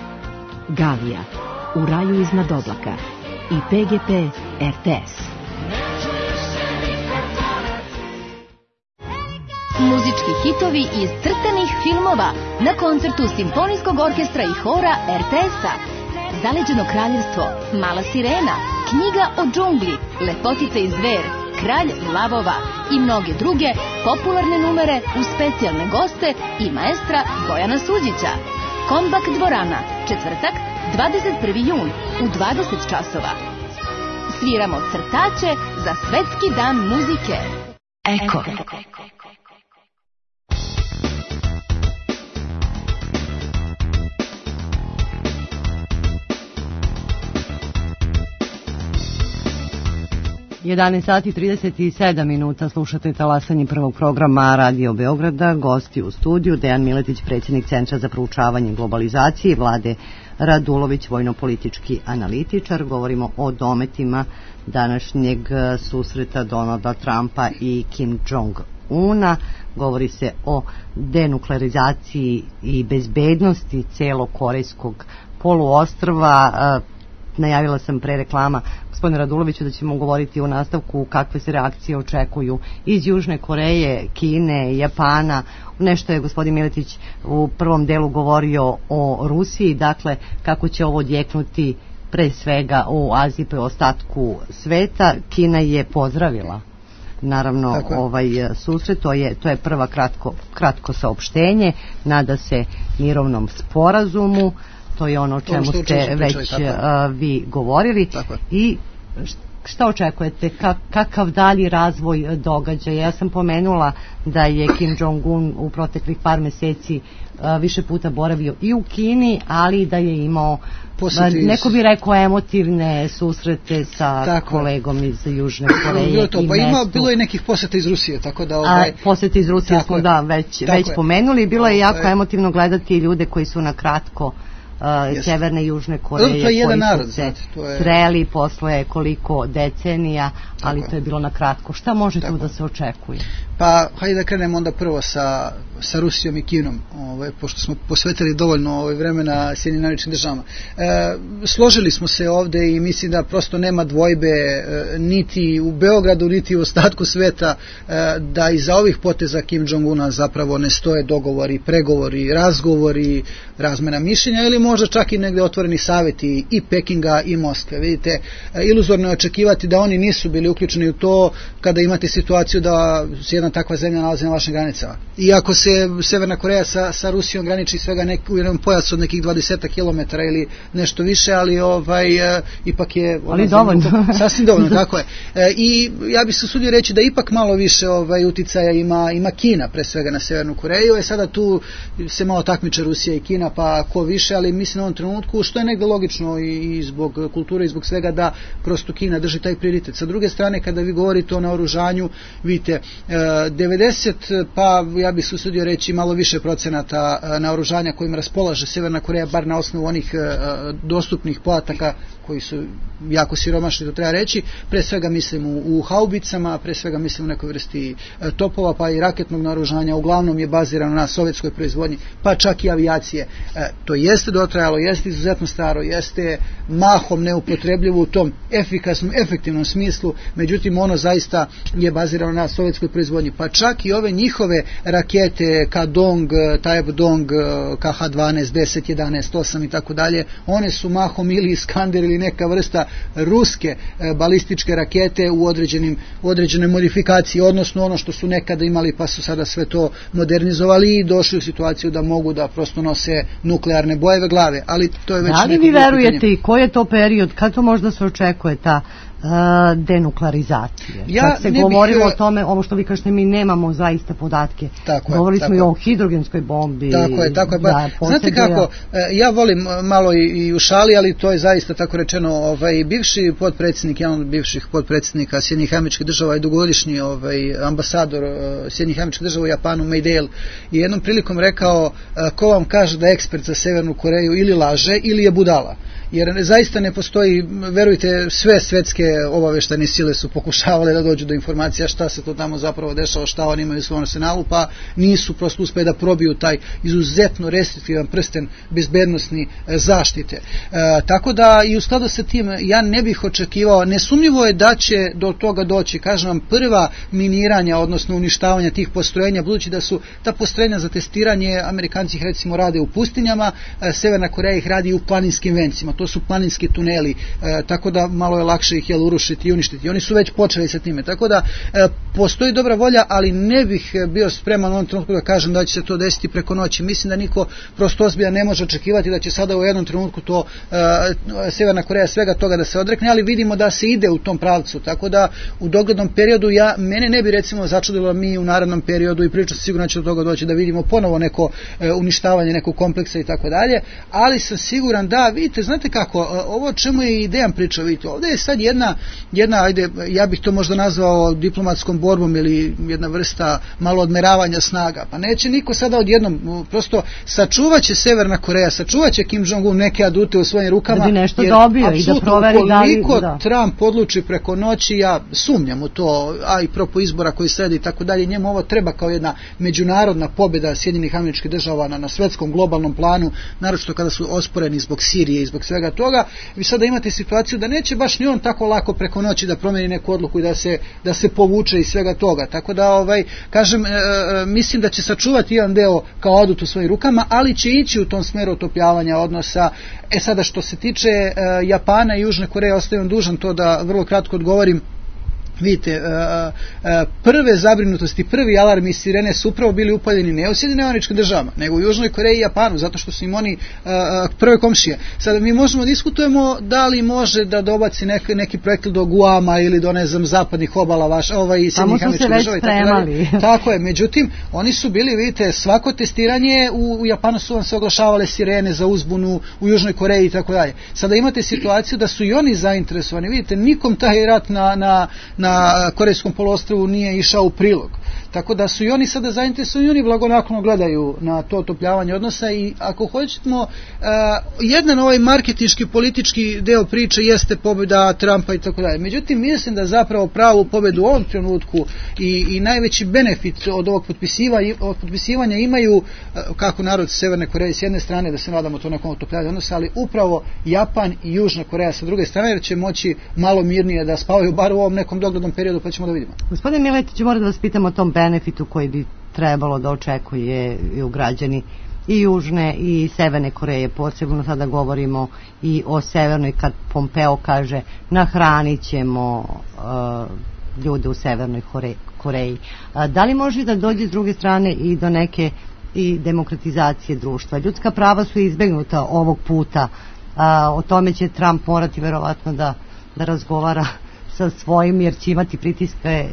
Galija, U raju iznad oblaka i PGP RTS. Muzički hitovi iz crtanih filmova na koncertu Simfonijskog orkestra i hora RTS-a. Zaleđeno kraljevstvo, Mala sirena, Knjiga o džungli, Lepotica i zver, Kralj lavova i mnoge druge popularne numere uz specijalne goste i maestra Bojana Suđića. Kombak dvorana, četvrtak, 21. jun u 20 časova. Sviramo crtače za Svetski dan muzike. Eko. 11 sati 37 minuta, slušate talasanje prvog programa Radio Beograda. Gosti u studiju: Dejan Miletić, predsjednik Centra za proučavanje globalizacije, Vlade Radulović, vojno-politički analitičar. Govorimo o dometima današnjeg susreta Donalda Trumpa i Kim Jong-una. Govori se o denuklearizaciji i bezbednosti celog korejskog poluostrva. Najavila sam pre reklama gospodine Raduloviću da ćemo govoriti u nastavku kakve se reakcije očekuju iz Južne Koreje, Kine, Japana. Nešto je gospodin Miletić u prvom delu govorio o Rusiji, dakle kako će ovo odjeknuti pre svega u Aziji pa ostatku sveta. Kina je pozdravila naravno susret, to je prva kratko saopštenje, nada se mirovnom sporazumu. To je ono o čemu ste već vi govorili. I šta očekujete? Kakav dalji razvoj događaja? Ja sam pomenula da je Kim Jong-un u proteklih par meseci više puta boravio i u Kini, ali da je imao, neko bi rekao, emotivne susrete sa kolegom iz Južne Koreje. Bilo je nekih posjeta iz Rusije, tako da... Posjeta iz Rusije smo već pomenuli. Bilo je jako emotivno gledati ljude koji su na kratko Severne i Južne Koreje koji su se sreli posle koliko decenija, ali to je bilo na kratko. Šta može tu da se očekuje? Pa hajde da krenemo onda prvo sa Rusijom i Kinom, pošto smo posvetili dovoljno vremena Sjedinjenim Američkim Državama. Složili smo se ovde i mislim da prosto nema dvojbe niti u Beogradu niti u ostatku sveta da iza ovih poteza Kim Jong-una zapravo ne stoje dogovori, pregovori, razgovori, razmena mišljenja ili možda čak i negde otvoreni savjeti i Pekinga i Moskve. Vidite, iluzorno je očekivati da oni nisu bili uključeni u to kada imate situaciju da se jedna takva zemlja nalazi na vašim granicama. Iako se Severna Koreja sa Rusijom graniči svega u jednom pojasu od nekih 20 km ili nešto više, ali ipak je dovoljno. Sasvim dovoljno, tako je. I ja bih se usudio reći da ipak malo više uticaja ima Kina pre svega na Severnu Koreju. Sada tu se malo takmiče Rusija i Kina, pa ko više, ali mislim u ovom trenutku, što je negde logično i zbog kulture i zbog svega, da prosto Kina drži taj prioritet. Sa druge strane, kada vi govorite o naoružanju, vidite, 90, pa ja bih se usudio reći malo više procenata naoružanja kojim raspolaže Severna Koreja, bar na osnovu onih dostupnih podataka koji su jako siromašni, to treba reći. Pre svega mislim u haubicama, pre svega mislim u nekoj vrsti topova, pa i raketnog naoružanja, uglavnom je bazirano na sovjetskoj proizvodnji, pa čak i avijacije. To jeste dotrajalo, jeste izuzetno staro, jeste mahom neupotrebljivo u tom efikasnom, efektivnom smislu, međutim ono zaista je bazirano na sovjetskoj proizvodnji, pa čak i ove njihove rakete Kadong, Taepdong, KH-12, 10, 11, 8 i tako dalje, one su mahom ili Iskander ili neka vrsta ruske balističke rakete u određenoj modifikaciji, odnosno ono što su nekada imali pa su sada sve to modernizovali i došli u situaciju da mogu da prosto nose nuklearne bojeve glave, ali to je već neko pitanje. Da li vi verujete i koji je to period, kad to možda se očekuje ta denuklearizacije? Kad se govorilo o tome, ovo što vi kažete, mi nemamo zaista podatke. Govorili smo i o hidrogenskoj bombi. Tako je. Znate kako, ja volim malo i u šali, ali to je zaista tako rečeno, bivši potpredsjednik, jedan od bivših potpredsjednika Sjedinjenih Američkih Država i dugogodišnji ambasador Sjedinjenih Američkih Država u Japanu, Meidel, je jednom prilikom rekao, ko vam kaže da je ekspert za Severnu Koreju ili laže ili je budala. Jer zaista ne postoji, verujte, sve svetske obaveštajne sile su pokušavale da dođu do informacija šta se to tamo zapravo dešava, šta oni imaju u svom arsenalu, pa nisu prosto uspeli da probiju taj izuzetno restriktivan prsten bezbednosni zaštite. Tako da i u skladu sa tim ja ne bih očekivao, nesumnjivo je da će do toga doći, kažem vam, prva miniranja, odnosno uništavanja tih postrojenja, budući da su ta postrojenja za testiranje, Amerikanci ih recimo rade u pustinjama, Severna Koreja ih radi u planinskim vencima. To su planinski tuneli, tako da malo je lakše ih urušiti i uništiti. Oni su već počeli sa time, tako da postoji dobra volja, ali ne bih bio spreman u ovom trenutku da kažem da će se to desiti preko noći. Mislim da niko prosto ozbiljan ne može očekivati da će sada u jednom trenutku to Severna Koreja svega toga da se odrekne, ali vidimo da se ide u tom pravcu, tako da u doglednom periodu mene ne bi recimo začudilo mi u narednom periodu, i priča sigurno će do toga doći, da vidimo ponovo neko uništavanje nekog kompleksa i tako dalje, ali sam siguran da, vidite, znate kako, ovo čemu je i Dejan pričao, vidite, ovdje je sad jedna, ajde, ja bih to možda nazvao diplomatskom borbom ili jedna vrsta malo odmeravanja snaga, pa neće niko sada odjednom, prosto sačuvaće Severna Koreja, sačuvaće Kim Jong-un neke adute u svojim rukama, da bi nešto dobio i da proveri koliko Trump odluči preko noći, ja sumnjam u to, a i propo izbora koji sledi i tako dalje, njemu ovo treba kao jedna međunarodna pobjeda Sjedinjenih Američkih Država na svetskom globalnom planu, naročito kada su osporeni zbog Sirije i zbog svega toga. Vi sada imate situaciju da neće baš ni on tako lako preko noći da promeni neku odluku i da se povuče iz svega toga, tako da kažem, mislim da će sačuvati jedan deo kao adut u svojim rukama, ali će ići u tom smeru otopljavanja odnosa. Sada što se tiče Japana i Južne Koreje, ostajem dužan to da vrlo kratko odgovorim. Vidite, prve zabrinutosti, prvi alarmi i sirene su upravo bili upaljeni ne u Sjedinjenim Američkim Državama, nego u Južnoj Koreji i Japanu, zato što su im oni prve komšije. Sada mi možemo diskutujemo da li može da dobaci neki projekt do Guama ili do, ne znam, zapadnih obala Sjedinjenih Američkih Država. Tako je, međutim, oni su bili, vidite, svako testiranje u Japanu su vam se oglašavale sirene za uzbunu, u Južnoj Koreji i tako dalje. Sada imate situaciju da su i oni zainteresovani, vidite, nikom taj rat na Korejskom poluostrvu nije išao u prilog. Tako da su i oni sada zainteresovani i oni blagonaklono gledaju na to otopljavanje odnosa i ako hoćemo, jedan ovaj marketinški politički deo priče jeste pobjeda Trumpa i tako dalje. Međutim, mislim da zapravo pravu pobjedu u ovom trenutku i najveći benefit od ovog potpisivanja imaju kako narod Severne Koreje s jedne strane, da se nadamo to nekom otopljanju odnosa, ali upravo Japan i Južna Koreja sa druge strane, jer će moći malo mirnije da spavaju bar u ovom nekom doglednom periodu, pa ćemo da vidimo. Gospodin Miletić, moram da vas pitam o tom benefitu koji bi trebalo da očekuje u građani i Južne i Severne Koreje, posebno sada govorimo i o Severnoj, kad Pompeo kaže nahranit ćemo ljude u Severnoj Koreji. Da li može da dođe s druge strane i do neke i demokratizacije društva? Ljudska prava su izbegnuta ovog puta, o tome će Trump morati verovatno da razgovara sa svojim, jer će imati pritiske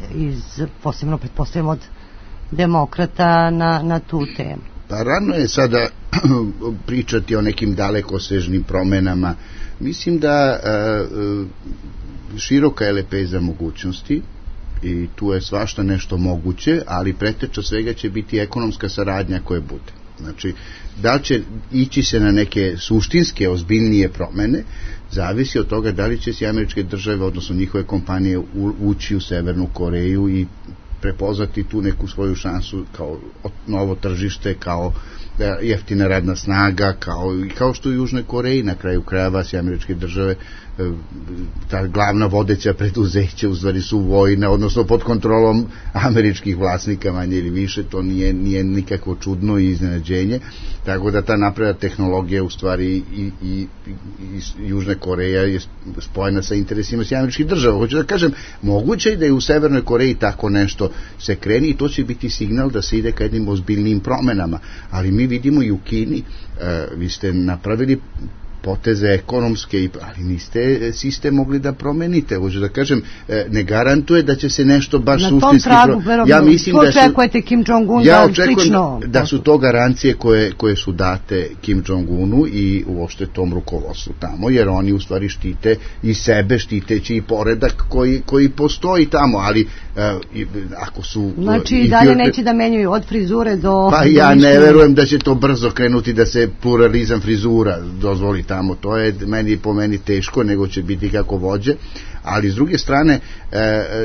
posebno pretpostavljamo od demokrata na tu temu. Pa rano je sada pričati o nekim dalekosežnim promenama. Mislim da široka je lepeza mogućnosti i tu je svašta nešto moguće, ali preteča svega će biti ekonomska saradnja koja bude. Znači, da će ići se na neke suštinske, ozbiljnije promene, zavisi od toga da li će se američke države, odnosno njihove kompanije, ući u Severnu Koreju i prepoznati tu neku svoju šansu kao novo tržište, kao jeftina radna snaga, kao što u Južnoj Koreji, na kraju krajeva se američke države, ta glavna vodeća preduzeća u stvari su vojna, odnosno pod kontrolom američkih vlasnika, manje ili više, to nije nikakvo čudno i iznenađenje, tako da ta napredna tehnologija u stvari i Južna Koreja je spojena sa interesima američkih država. Hoću da kažem, moguće je da je u Severnoj Koreji tako nešto se kreni i to će biti signal da se ide ka jednim ozbiljnim promenama, ali mi vidimo i u Kini, vi ste napravili poteze ekonomske, ali niste sistem mogli da promenite. Hoću da kažem, ne garantuje da će se nešto baš suštinski... Ja mislim da očekujete Kim Jong-un slično... Da su to garancije koje su date Kim Jong-unu i uopšte tom rukovodstvu tamo, jer oni u stvari štite i sebe, štiteći i poredak koji postoji tamo, ali ako su... Znači i dalje neće da menjaju od frizure do... Pa ja ne verujem da će to brzo krenuti da se pluralizam frizura dozvoli tamo, to je po meni teško, nego će biti kako vođe, ali s druge strane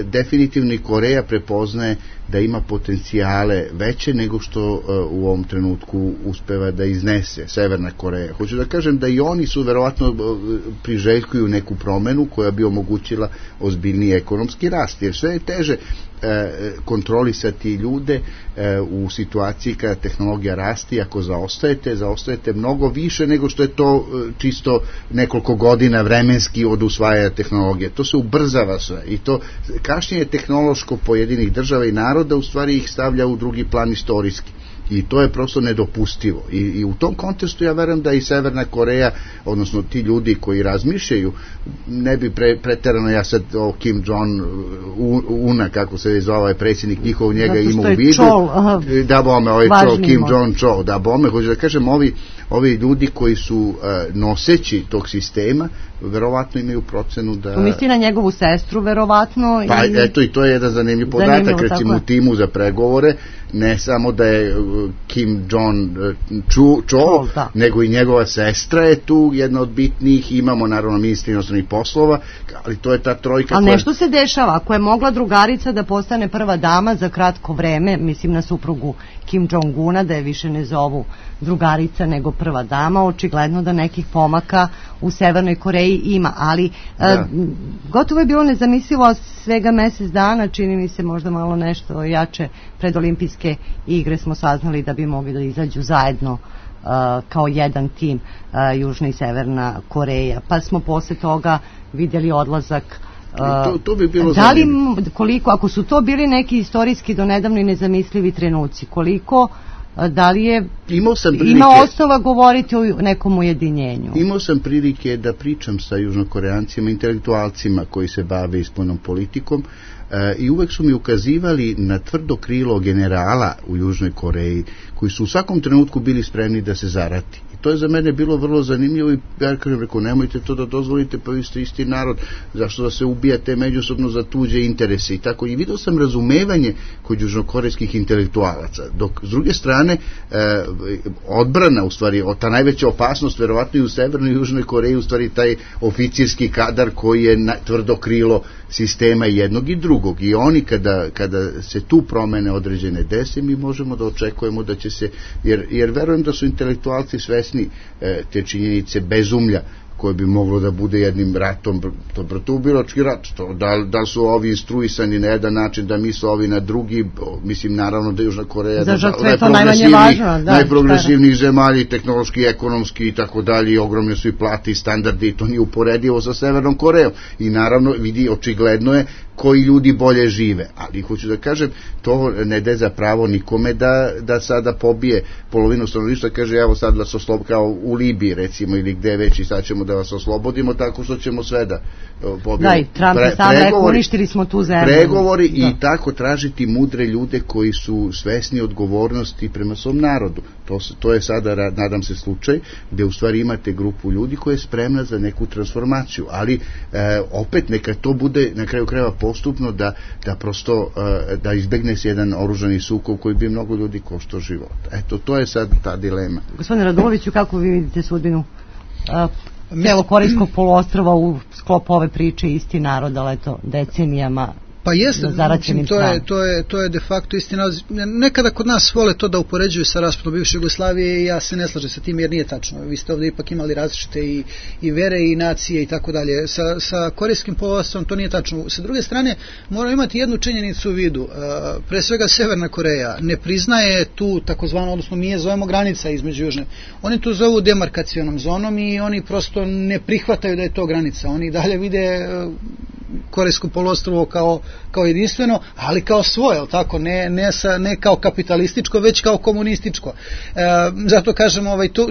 definitivno i Koreja prepoznaje da ima potencijale veće nego što u ovom trenutku uspeva da iznese Severna Koreja. Hoću da kažem da i oni su verovatno priželjkuju neku promenu koja bi omogućila ozbiljniji ekonomski rast, jer sve je teže kontrolisati ljude u situaciji kada tehnologija rasti. Ako zaostajete mnogo više nego što je to čisto nekoliko godina vremenski od usvajanja tehnologije. To se ubrzava sve i to kašnjenje tehnološko pojedinih država i naroda u stvari ih stavlja u drugi plan istorijski. I to je prosto nedopustivo. I u tom kontekstu ja verujem da i Severna Koreja, odnosno ti ljudi koji razmišljaju, ne bi preterano, ja sad o Kim Jong-una, kako se zove ovaj predsjednik njihov, njega ima u vidu. Da bome, ovaj Kim Jong-chol, da bome, hoću da kažem, ovi ljudi koji su noseći tog sistema, verovatno imaju procenu da... Misli na njegovu sestru, verovatno. Pa eto, i to je jedan zanimljiv podatak, recimo u timu za pregovore, ne samo da je Kim Jong-chol, nego i njegova sestra je tu jedna od bitnijih, imamo naravno ministra inostranih poslova, ali to je ta trojka. Ali nešto se dešava, ako je mogla drugarica da postane prva dama za kratko vreme, mislim na suprugu Kim Jong-una, da je više ne zovu drugarica nego prva dama, očigledno da nekih pomaka u Severnoj Koreji ima, ali gotovo je bilo nezamislivo svega mesec dana, čini mi se možda malo nešto jače, pred olimpijske igre smo saznali da bi mogli da izađu zajedno kao jedan tim Južna i Severna Koreja, pa smo posle toga vidjeli odlazak. To bi bilo da li, ako su to bili neki istorijski do nedavno i nezamislivi trenuci, koliko, da li je ima osnova govoriti o nekom ujedinjenju? Imao sam prilike da pričam sa južnokoreancima, intelektualcima koji se bave ispolnom politikom, i uvek su mi ukazivali na tvrdo krilo generala u Južnoj Koreji koji su u svakom trenutku bili spremni da se zarati. To je za mene bilo vrlo zanimljivo i ja kažem, rekao, nemojte to da dozvolite, pa vi ste isti narod, zašto da se ubijate međusobno za tuđe interese i tako. I vidio sam razumevanje kod južnokorejskih intelektualaca, dok s druge strane odbrana, u stvari, ta najveća opasnost verovatno i u Severnoj i Južnoj Koreji, u stvari taj oficirski kadar koji je tvrdo krilo sistema jednog i drugog. I oni kada se tu promene određene dese, mi možemo da očekujemo da će se, jer verujem da su intelektualci svesni te činjenice bezumlja koje bi moglo da bude jednim ratom, to ubilački rat, da su ovi instruisani na jedan način, da misle ovi na drugi, mislim naravno da Južna Koreja najprogresivnijih zemalja, tehnološki, ekonomski i tako dalje, i ogromne su i plate i standardi, i to nije uporedivo sa Severnom Korejom, i naravno vidi, očigledno je koji ljudi bolje žive, ali hoću da kažem, to ne daje za pravo nikome da sada pobije polovinu stanovništva, kaže evo sad vas oslobodimo, kao u Libiji recimo, ili gde već, i sad ćemo da vas oslobodimo tako što ćemo sve da pobijemo. Da, i Trump je sam rekao, uništili smo tu zemlju. Pregovori i tako tražiti mudre ljude koji su svesni odgovornosti prema svom narodu. To je sada, nadam se, slučaj gde u stvari imate grupu ljudi koja je spremna za neku transformaciju, ali opet neka to bude na kraju krajeva postupno, da prosto da izbegne se jedan oružani sukob koji bi mnogo ljudi koštao život. Eto, to je sad ta dilema. Gospodine Raduloviću, kako vi vidite sudbinu Korejskog poluostrva u sklopu ove priče isti narod, ali eto, decenijama? Pa jeste, to je de facto istina. Nekada kod nas vole to da upoređuju sa raspadom bivše Jugoslavije, i ja se ne slažem sa tim jer nije tačno. Vi ste ovdje ipak imali različite i vere i nacije i tako dalje. Sa Korejskim poluostrom to nije tačno. Sa druge strane, moramo imati jednu činjenicu u vidu. Pre svega Severna Koreja ne priznaje tu takozvano, odnosno mi je zovemo granica između Južne. Oni to zovu demarkacionom zonom i oni prosto ne prihvataju da je to granica. Oni dalje vide Korejsko poluostrvo kao jedinstveno, ali kao svoje, tako, ne kao kapitalističko, već kao komunističko. Zato kažem,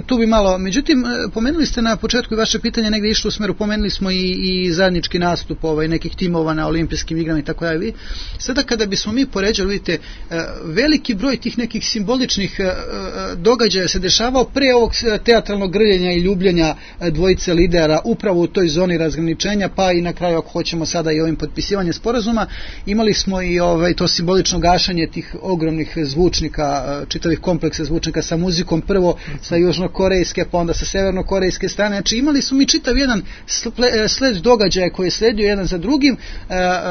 tu bi malo, međutim, pomenuli ste na početku i vaše pitanje negdje išlo u smeru, pomenuli smo i zajednički nastup nekih timova na olimpijskim igrama i tako dalje. Sada kada bismo mi poređali, vidite, veliki broj tih nekih simboličnih događaja se dešavao pre ovog teatralnog grljenja i ljubljenja dvojice lidera upravo u toj zoni razgraničenja, pa i na kraju, ako hoćemo sada i ovim potpisivanjem sporazuma, imali smo i to simbolično gašanje tih ogromnih zvučnika, čitavih kompleksa zvučnika sa muzikom, prvo sa južnokorejske, pa onda sa severnokorejske strane. Znači imali smo mi čitav jedan sled događaja koji je sledio jedan za drugim.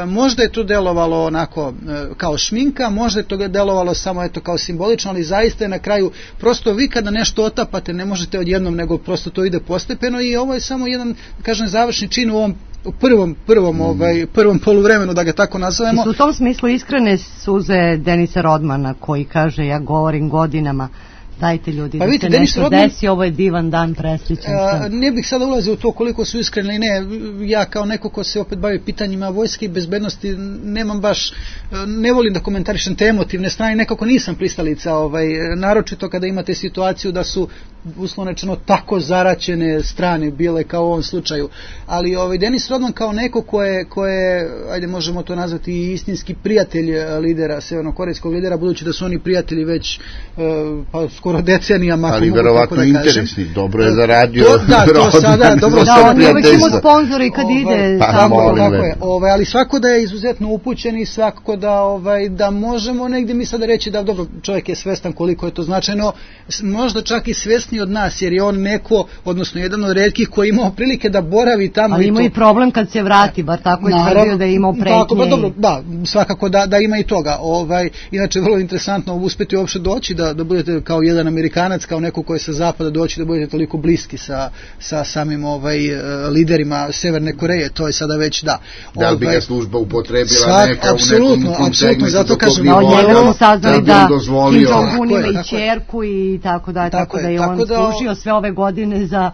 Možda je to delovalo onako kao šminka, možda je to delovalo samo kao simbolično, ali zaista je na kraju prosto vi kada nešto otapate ne možete odjednom, nego prosto to ide postepeno, i ovo je samo jedan, kažem, završni čin u ovom prvom poluvremenu, da ga tako nazovemo. I u tom smislu iskrene suze Denisa Rodmana, koji kaže, ja govorim godinama, dajte ljudi da se nešto desi, ovo je divan dan, presrećan sam. Ne bih sada ulazio u to koliko su iskreni ili ne. Ja kao neko ko se opet bavi pitanjima vojske i bezbednosti nemam baš, ne volim da komentarišem te emotivne strane, nekako nisam pristalica, naročito kada imate situaciju da su uslovno rečeno tako zaraćene strane bile kao u ovom slučaju. Ali Denis Rodman kao neko ko je, ajde možemo to nazvati i istinski prijatelj lidera, severnokorejskog lidera, budući da su oni prijatelji već pa skoro decenijama. Ali verovatno interesni, dobro je zaradio. To sada, dobro da, oni uvek imaju sponzori kad ide tako je. Ali svako da je izuzetno upućen i svako da možemo negdje mi sada reći da dobro, čovjek je svestan koliko je to značajno, možda čak i svesni od nas, jer je on neko, odnosno jedan od retkih koji imao prilike da boravi tamo. Ali ima i problem kad se vrati, bar tako je tvrdio da je imao pretnje. Dobro, da, svakako da ima i toga. Inače, vrlo interesantno uspjeti uopšte doći da budete kao jedan Amerikanac, kao neko koji je sa zapada doći da budete toliko bliski sa samim liderima Severne Koreje, to je sada već da. Da li bi ga služba upotrebila neka u nekom apsolutno, zato kažem, njega smo saznali da Kim Jong-un ima i ćerku i tako da je on služio sve ove godine za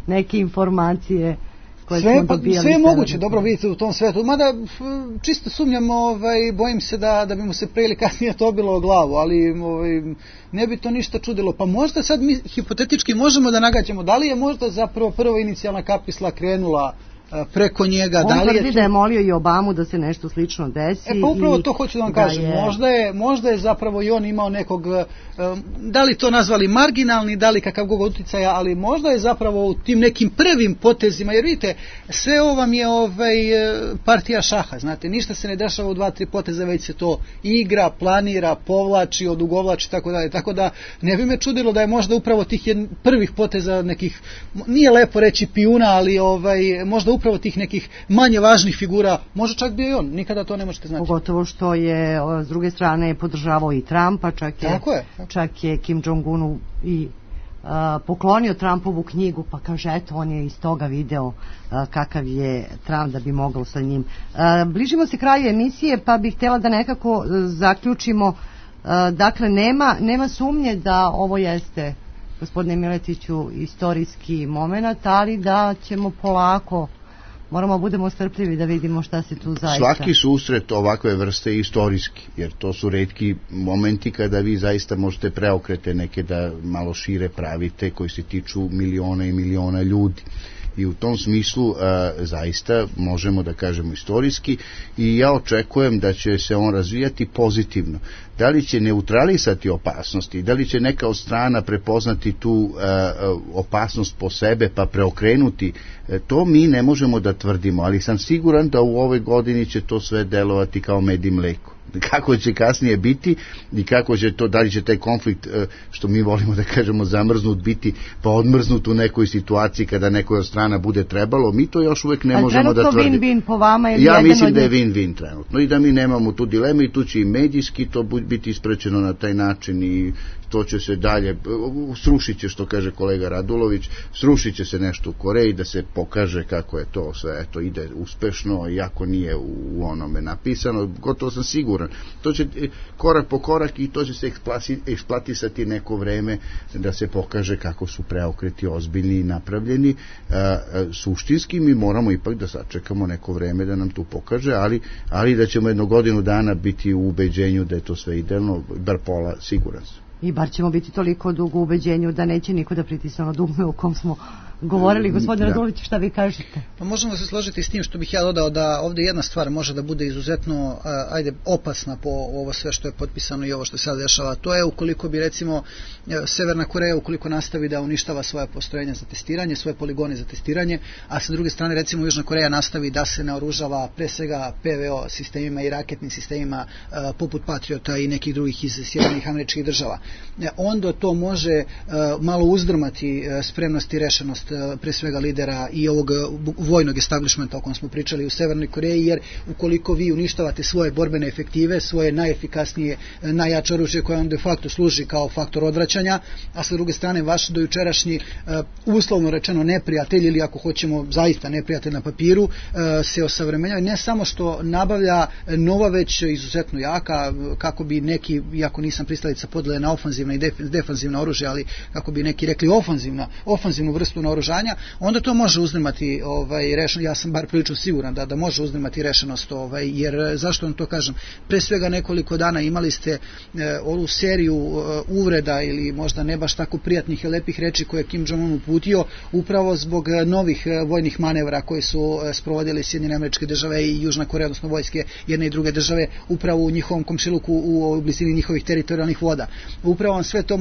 neke informacije koje smo dobijali. Sve je moguće, dobro vidite u tom svetu, mada čisto sumnjam, bojim se da bi mu se pre ili kasnije to bilo o glavu, ali ne bi to ništa čudilo. Pa možda sad mi hipotetički možemo da nagađamo, da li je možda zapravo prva inicijalna kapisla krenula preko njega. On tvrdi da je molio i Obamu da se nešto slično desi. Pa upravo to hoću da vam kažem. Možda je zapravo i on imao nekog, da li to nazvali marginalni, da li kakav god uticaja, ali možda je zapravo u tim nekim prvim potezima, jer vidite, sve ovo vam je partija šaha, znate, ništa se ne dešava u 2-3 poteza, već se to igra, planira, povlači, odugovlači, tako dalje. Tako da ne bi me čudilo da je možda upravo tih prvih poteza nekih, nije lepo reći pijuna, ali možda upravo tih nekih manje važnih figura, može čak bio i on, nikada to ne možete znati. Pogotovo što je s druge strane podržavao i Trumpa, čak je Kim Jong-unu i poklonio Trumpovu knjigu, pa kaže eto on je iz toga video kakav je Trump da bi mogao sa njim. Bližimo se kraju emisije, pa bih htjela da nekako zaključimo. Dakle, nema sumnje da ovo jeste, gospodine Miletiću, istorijski moment, ali da ćemo polako, moramo budemo strpljivi da vidimo šta se tu zaista... Svaki susret ovakve vrste je istorijski, jer to su retki momenti kada vi zaista možete preokrete neke da malo šire pravite koji se tiču miliona i miliona ljudi. I u tom smislu zaista možemo da kažemo istorijski i ja očekujem da će se on razvijati pozitivno. Da li će neutralisati opasnosti, da li će neka od strana prepoznati tu opasnost po sebe pa preokrenuti, to mi ne možemo da tvrdimo, ali sam siguran da u ovoj godini će to sve delovati kao med i mleko. Kako će kasnije biti i kako će to, da li će taj konflikt, što mi volimo da kažemo zamrznut, biti pa odmrznut u nekoj situaciji kada nekoj od strana bude trebalo, mi to još uvek ne možemo da tvrdimo. Win-win po vama ili ja mislim da je win-win trenutno i da mi nemamo tu dilemu i tu će i medijski to biti isprečeno na taj način i to će se dalje, srušit će, što kaže kolega Radulović, srušit će se nešto u Koreji da se pokaže kako je to sve, eto, ide uspešno, iako nije u onome napisano, gotovo sam siguran. To će korak po korak i to će se eksplatisati neko vreme da se pokaže kako su preokreti ozbiljni i napravljeni. Suštinski mi moramo ipak da sačekamo neko vreme da nam tu pokaže, ali da ćemo jedno godinu dana biti u ubeđenju da je to sve idealno, bar pola, siguran sam. I bar ćemo biti toliko dugo u ubeđenju da neće niko da pritisne ono dugme u kom smo govorili. Gospodine Radulović, šta vi kažete? Pa možemo se složiti s tim što bih ja dodao da ovdje jedna stvar može da bude izuzetno opasna po ovo sve što je potpisano i ovo što se sad dešava. To je ukoliko bi recimo Severna Koreja ukoliko nastavi da uništava svoje postrojenja za testiranje, svoje poligone za testiranje, a sa druge strane recimo Južna Koreja nastavi da se naoružava pre svega PVO sistemima i raketnim sistemima poput Patriota i nekih drugih iz Sjedinjenih Američkih Država. Onda to može malo uzdrmati spremnost i rešenost pre svega lidera i ovog vojnog establishmenta o kojem smo pričali u Severnoj Koreji, jer ukoliko vi uništavate svoje borbene efektive, svoje najefikasnije, najjače oružje koje on de facto služi kao faktor odvraćanja, a sa druge strane vaš dojučerašnji uslovno rečeno neprijatelj ili ako hoćemo zaista neprijatelj na papiru se osavremenjava, ne samo što nabavlja nova već izuzetno jaka, kako bi neki, iako nisam pristalica podele na ofanzivna i defanzivna oružja, ali kako bi neki rekli ofanzivnu vrstu naoružanja, onda to može uzdrmati ja sam bar prilično siguran da može uzdrmati rešenost, jer zašto vam to kažem? Pre svega nekoliko dana imali ste ovu seriju uvreda ili možda ne baš tako prijatnih i lepih reči koje je Kim Jong-un uputio upravo zbog novih vojnih manevra koji su sprovodili Sjedinjene Američke Države i Južna Koreja, odnosno vojske jedne i druge države upravo u njihovom komšiluku u blizini njihovih teritorijalnih voda. Upravo sve to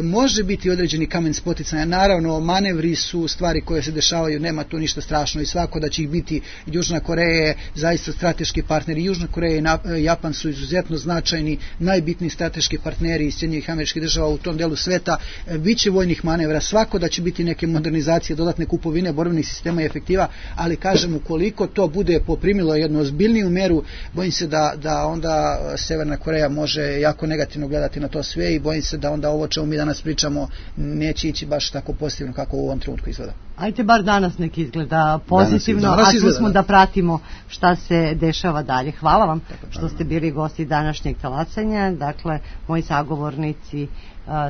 može biti određeni kamen spoticanja. Naravno, manevri su stvari koje se dešavaju, nema tu ništa strašno i svako da će ih biti. Južna Koreja je zaista strateški partner i Južna Koreja i Japan su izuzetno značajni, najbitniji strateški partneri iz Sjedinjenih Američkih Država u tom delu sveta. Biće vojnih manevra, svako da će biti neke modernizacije, dodatne kupovine borbenih sistema i efektiva, ali kažem, ukoliko to bude poprimilo jednu ozbiljniju meru, bojim se da onda Severna Koreja može jako negativno gledati na to sve i bojim se da onda ovo čemu mi danas pričamo neće ići baš tako pozitivno kako u ovom trenutku izgleda. Ajde bar danas neki izgleda pozitivno, a tu smo da pratimo šta se dešava dalje. Hvala vam što ste bili gosti današnjeg talasanja. Dakle, moji sagovornici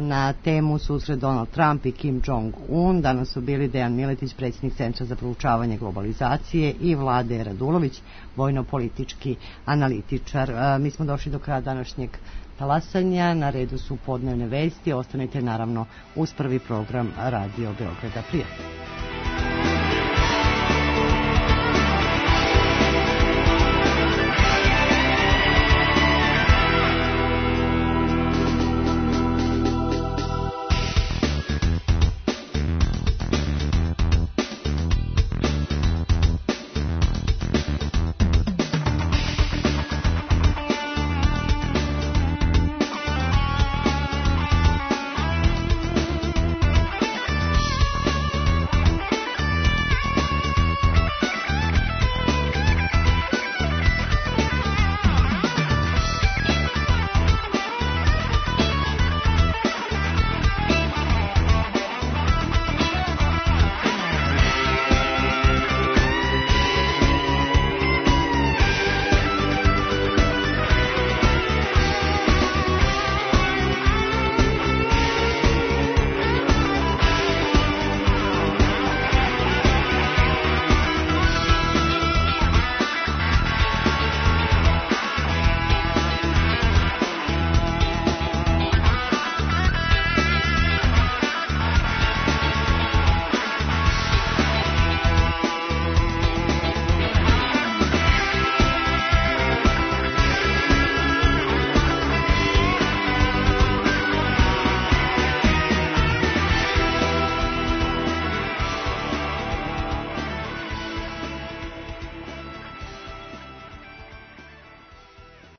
na temu susret Donald Trump i Kim Jong-un. Danas su bili Dejan Miletić, predsjednik Centra za proučavanje globalizacije, i Vlade Radulović, vojno-politički analitičar. Mi smo došli do kraja današnjeg talasanja. Na redu su podnevne vesti. Ostanite naravno uz prvi program Radio Beograda. Prijatno.